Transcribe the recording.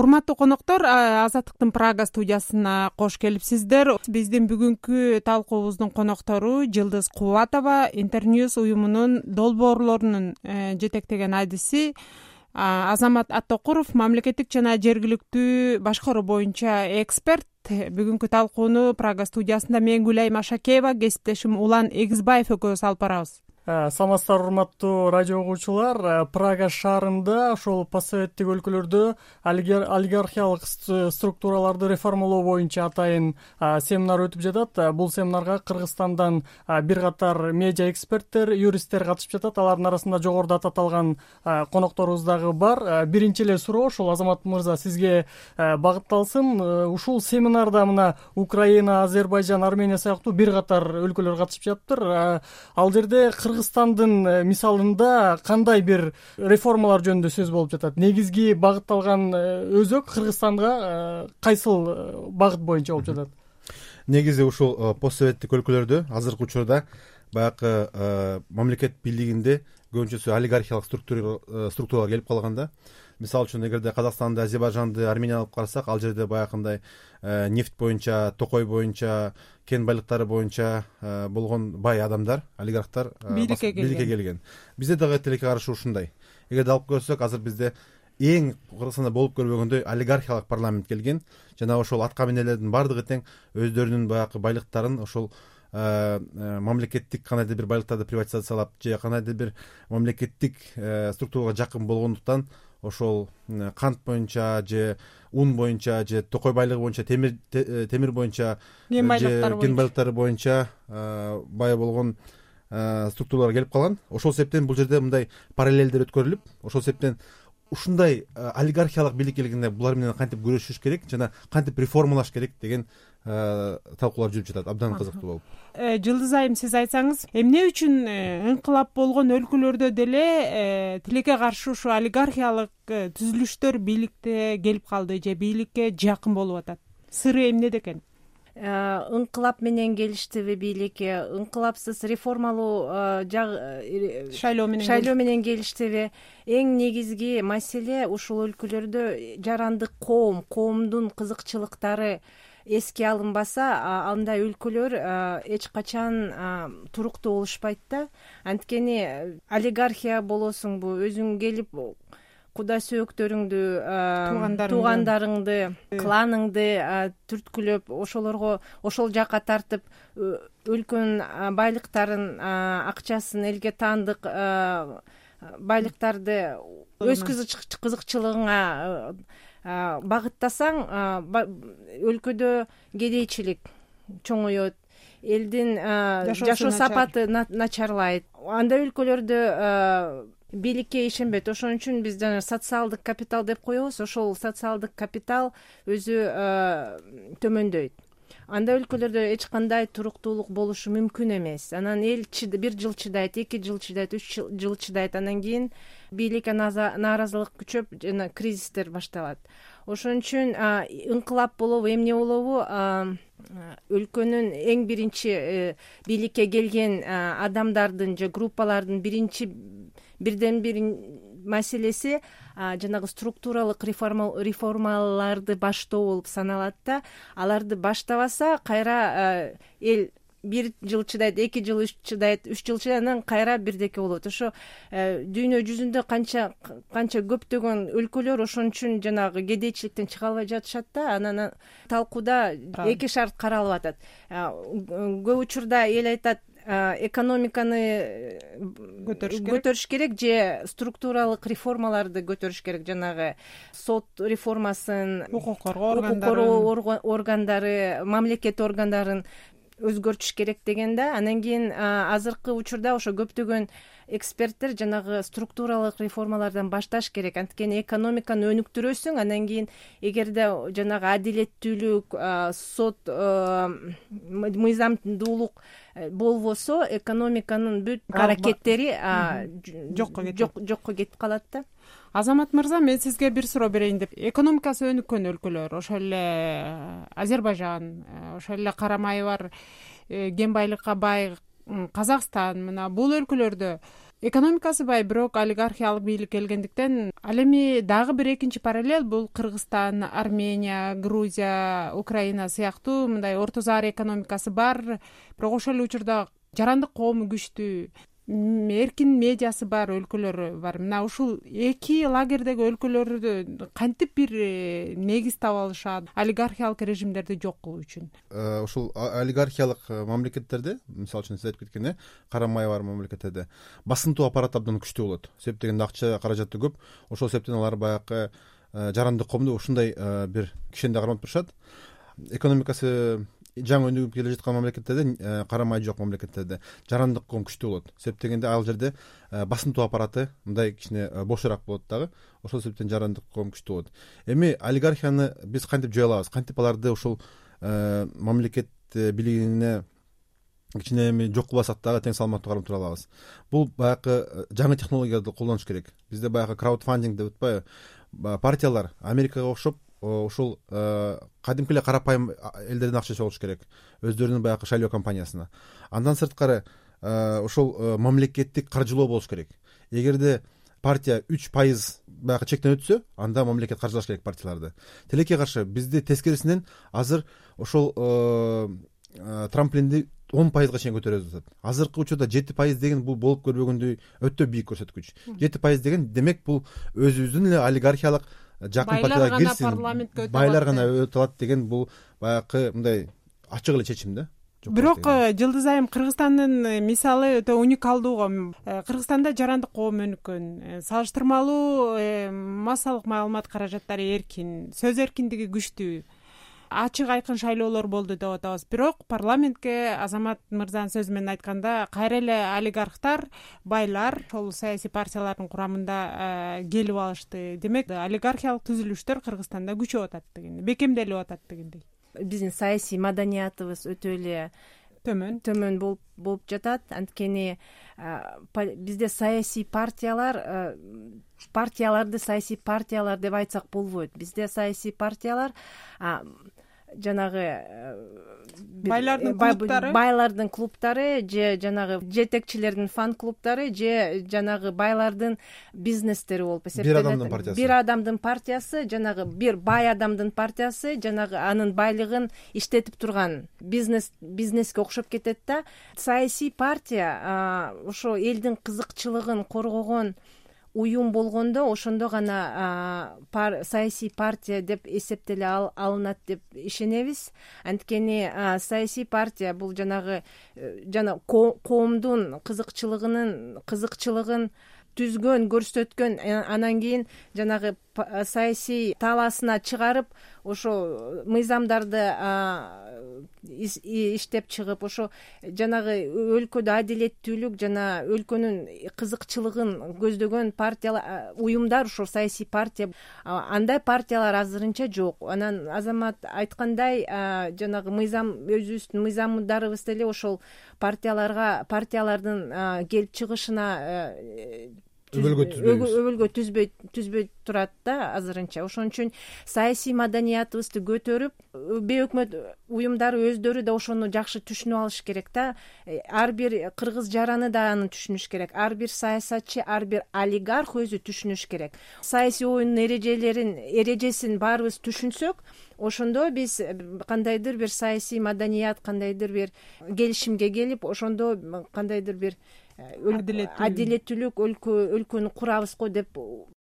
Урматтуу коноктор, Азаттыктын Прага студиясына кош келипсиздер. Биздин бүгүнкү талкуубуздун коноктору Жылдыз Кубатова, Интерньюз уюмунун долбоорлорунун жетектеген адиси Азамат Аттокуров, мамлекеттик жана жергиликтүү башкаруу боюнча эксперт. Бүгүнкү талкууну Прага студиясында мен Гүлайым Ашакеева, кесиптешим Улан Эгизбаев экөөбүз алып барабыз. Саламатсыздар, урматтуу радио угуучулар. Прага шаарында, ошол постсоветтик өлкөлөрдө олигархиялык структураларды реформалоо боюнча атайын семинар өтүп жатат. Бул семинарга Кыргызстандан бир катар медиа эксперттер, юристтер катышып жатат. Алардын арасында жогоруда аталган конокторубуз дагы бар. Биринчи эле суроо ошол Азамат мырза сизге багытталсын. Ушул семинарда мына Украина, Азербайжан, Армения сыяктуу бир катар өлкөлөр катышып жатыптыр. Ал жерде Кыргызстандын мисалында кандай бир реформалар жөнүндө сөз болуп жатат? Негизги багытталган өзөк Кыргызстанга кайсыл багыт боюнча болуп жатат? Негизи ушул постсоветтик өлкөлөрдө азыркы учурда баягы мамлекет бийлигинде көбүнчөсү олигархиялык структуралар келип калган да. Мисалы үчүн эгерде Казакстанды, Азербайжанды, Арменияны алып карасак, ал жерде баягындай нефть боюнча, токой боюнча, кен байлыктары боюнча болгон бай адамдар, олигархтар бийликке келген. Бизде дагы тилекке каршы ушундай. Эгерде алып көрсөк, азыр бизде эң Кыргызстанда болуп көрбөгөндөй олигархиялык парламент келген. Жана ошол атка минелердин бардыгы тең өздөрүнүн баягы байлыктарын ошол мамлекеттик кандайдыр бир байлыктарды приватизациялап же кандайдыр бир мамлекеттик структурага жакын болгондуктан ошол кант боюнча же ун боюнча же токой байлыгы боюнча, темир боюнча, кен байлыктары боюнча бай болгон структуралар келип калган. Ошол себептен бул жерде мындай параллелдер өткөрүлүп, ошол себептен ушундай олигархиялык бийлик келгенде булар менен кантип күрөшүш керек жана кантип реформалаш керек деген талкуулар жүрүп жатат. Абдан кызыктуу болуп. Жылдыз айым, сиз айтсаңыз, эмне үчүн инкылап болгон өлкөлөрдө деле тилекке каршы ушу олигархиялык түзүлүштөр бийликте келип калды же бийликке жакын болуп атат? Сыры эмнеде экен? Инкылап менен келиштиби бийликке, инкылапсыз реформалуу шайлоо менен келиштиби? Эң негизги маселе ушул өлкөлөрдө жарандык коомдун кызыкчылыктары эске алынбаса, андай өлкөлөр эч качан туруктуу болушпайт да. Анткени олигархия болосуңбу, өзүң келип куда сөөктөрүңдү, туугандарыңды, кланыңды түрткүлөп, ошолорго ошол жака тартып, өлкөнүн байлыктарын, акчасын, элге таандык байлыктарды өз кызыкчылыгыңа багыттасаң, өлкөдө кедейчилик чоңоет, элдин жашоо сапаты начарлайт. Андай өлкөлөрдө бийликке ишенбейт. Ошон үчүн биз жана социалдык капитал деп коебуз. Ошол социалдык капитал өзү төмөндөйт. Андай өлкөлөрдө эч кандай туруктуулук болушу мүмкүн эмес. Анан эл бир жыл чыдайт, 2 жыл чыдайт, 3 жыл чыдайт. Анан кийин бийликке нааразылык күчөп, жана кризистер башталат. Ошон үчүн инкылап болобу, эмне болобу, өлкөнүн эң биринчи бийликке келген адамдардын же группалардын бирден бир маселеси жанагы структуралык реформаларды баштоо болуп саналат да. Аларды баштабаса, кайра эл 1 жыл чыдайт, 2 жыл чыдайт, 3 жыл чыдайт, анан кайра бирдеке болот. Ошо дүйнө жүзүндө канча көптөгөн өлкөлөр ошон үчүн жанагы кедейчиликтен чыга албай жатышат да. Анан талкууда эки шарт каралып атат. Көп учурда эл айтат, экономиканы көтөрүш керек же структуралык реформаларды көтөрүш керек, жанагы сот реформасын, укук коргоо органдары, мамлекет органдарын өзгөртүш керек дегенде. Анан кийин азыркы учурда ошо көптөгөн эксперттер жанагы структуралык реформалардан башташ керек. Анткени экономиканы өнүктүрөсүң, анан кийин эгерде жанагы адилеттүүлүк, сот, мыйзамдуулук болбосо, экономиканын бүт аракеттери жокко кетип калат да. Азамат мырза, мен сизге бир суроо берейин деп. Экономикасы өнүккөн өлкөлөр, ошол эле Азербайжан, ошол эле карамайы бар кен байлыкка бай Казакстан, мына бул өлкөлөрдө экономикасы бай, бирок олигархиялык бийлик келгендиктен ал эми дагы бир экинчи параллель бул Кыргызстан, Армения, Грузия, Украина сыяктуу мындай орто заар экономикасы бар, бирок ошол эле учурда жарандык коому күчтүү, эркин медиасы бар өлкөлөр бар. Мына ушул эки лагердеги өлкөлөрдү кантип бир негиз таба алышат олигархиялык режимдерди жок кылуу үчүн? Ушул олигархиялык мамлекеттерде, мисалы үчүн сиз айтып кеткен карамай бар мамлекеттерде басынтуу аппарат абдан күчтүү болот. Себеп дегенде акча каражаты көп. Ошол себептен алар баягы жарандык коомду ушундай бир кишенде кармап турушат. Экономикасы жаңы өнүгүп келе жаткан мамлекеттерде, карамай жок мамлекеттерде жарандык коом күчтүү болот. Себеп дегенде ал жерде басынтуу аппараты мындай кичине бошураак болот дагы. Ошол себептен жарандык коом күчтүү болот. Эми олигархияны биз кантип жое алабыз? Кантип аларды ушул мамлекет бийлигине кичине эми жок кылбасак дагы тең салмактуу карап тура алабыз? Бул баягы жаңы технологияларды колдонуш керек. Бизде баягы краудфандинг деп атпайбы? Партиялар Америкага окшоп ушул кадимки эле карапайым элдерден акча чогулуш керек, өздөрүнүн баягы шайлоо компаниясына. Андан сырткары ошол мамлекеттик каржылоо болуш керек. Эгерде партия 3% баягы чектен өтсө, анда мамлекет каржылаш керек партияларды. Тилекке каршы бизде тескерисинен азыр ошол трамплинди 10%га чейин көтөрүп атат. Азыркы учурда 7% деген бул болуп көрбөгөндөй өтө бийик көрсөткүч. 7% деген демек бул өзүбүздүн эле олигархиялык жакын партияга кирсин, байлар гана өтө алат деген бул баягы мындай ачык эле чечим да. Бирок Жылдыз айым, Кыргызстандын мисалы өтө уникалдуу го. Кыргызстанда жарандык коом өнүккөн, салыштырмалуу массалык маалымат каражаттары эркин, сөз эркиндиги күчтүү, ачык айкын шайлоолор болду деп атабыз. Бирок парламентке Азамат мырзанын сөзү менен айтканда кайра эле олигархтар, байлар ошол саясий партиялардын курамында келип алышты. Демек, олигархиялык түзүлүштөр Кыргызстанда күчөп атат дегендей, бекемделип атат дегендей. Биздин саясий маданиятыбыз өтө эле төмөн болуп жатат. Анткени бизде саясий партияларды саясий партиялар деп айтсак болбойт. Бизде саясий партиялар жанагы байлардын клубтары же жанагы жетекчилердин фан клубтары же жанагы байлардын бизнестери болуп эсептелет. Бир адамдын партиясы, жанагы бир бай адамдын партиясы жанагы анын байлыгын иштетип турган бизнеске окшоп кетет да. Саясий партия ошо элдин кызыкчылыгын коргогон уюм болгондо ошондо гана саясий партия деп эсептеле алынат деп ишенебиз. Анткени саясий партия бул жанагы коомдун кызыкчылыгын түзгөн, көрсөткөн, анан кийин жанагы саясий талаасына чыгарып, ошо мыйзамдарды иштеп чыгып, ошо жанагы өлкөдө адилеттүүлүк жана өлкөнүн кызыкчылыгын көздөгөн партиялар, уюмдар ушул саясий партия. Андай партиялар азырынча жок. Анан Азамат айткандай, жанагы мыйзам, өзүбүздүн мыйзамдарыбыз деле ошол партиялардын келип чыгышына өбөлгө түзбөй турат да азырынча. Ошон үчүн саясий маданиятыбызды көтөрүп, бейөкмөт уюмдары өздөрү да ошону жакшы түшүнүп алыш керек да. Ар бир кыргыз жараны да аны түшүнүш керек. Ар бир саясатчы, ар бир олигарх өзү түшүнүш керек. Саясий оюндун эрежесин баарыбыз түшүнсөк, ошондо биз кандайдыр бир саясий маданият, кандайдыр бир келишимге келип, ошондо кандайдыр бир адилеттүүлүк өлкөнү курабыз го деп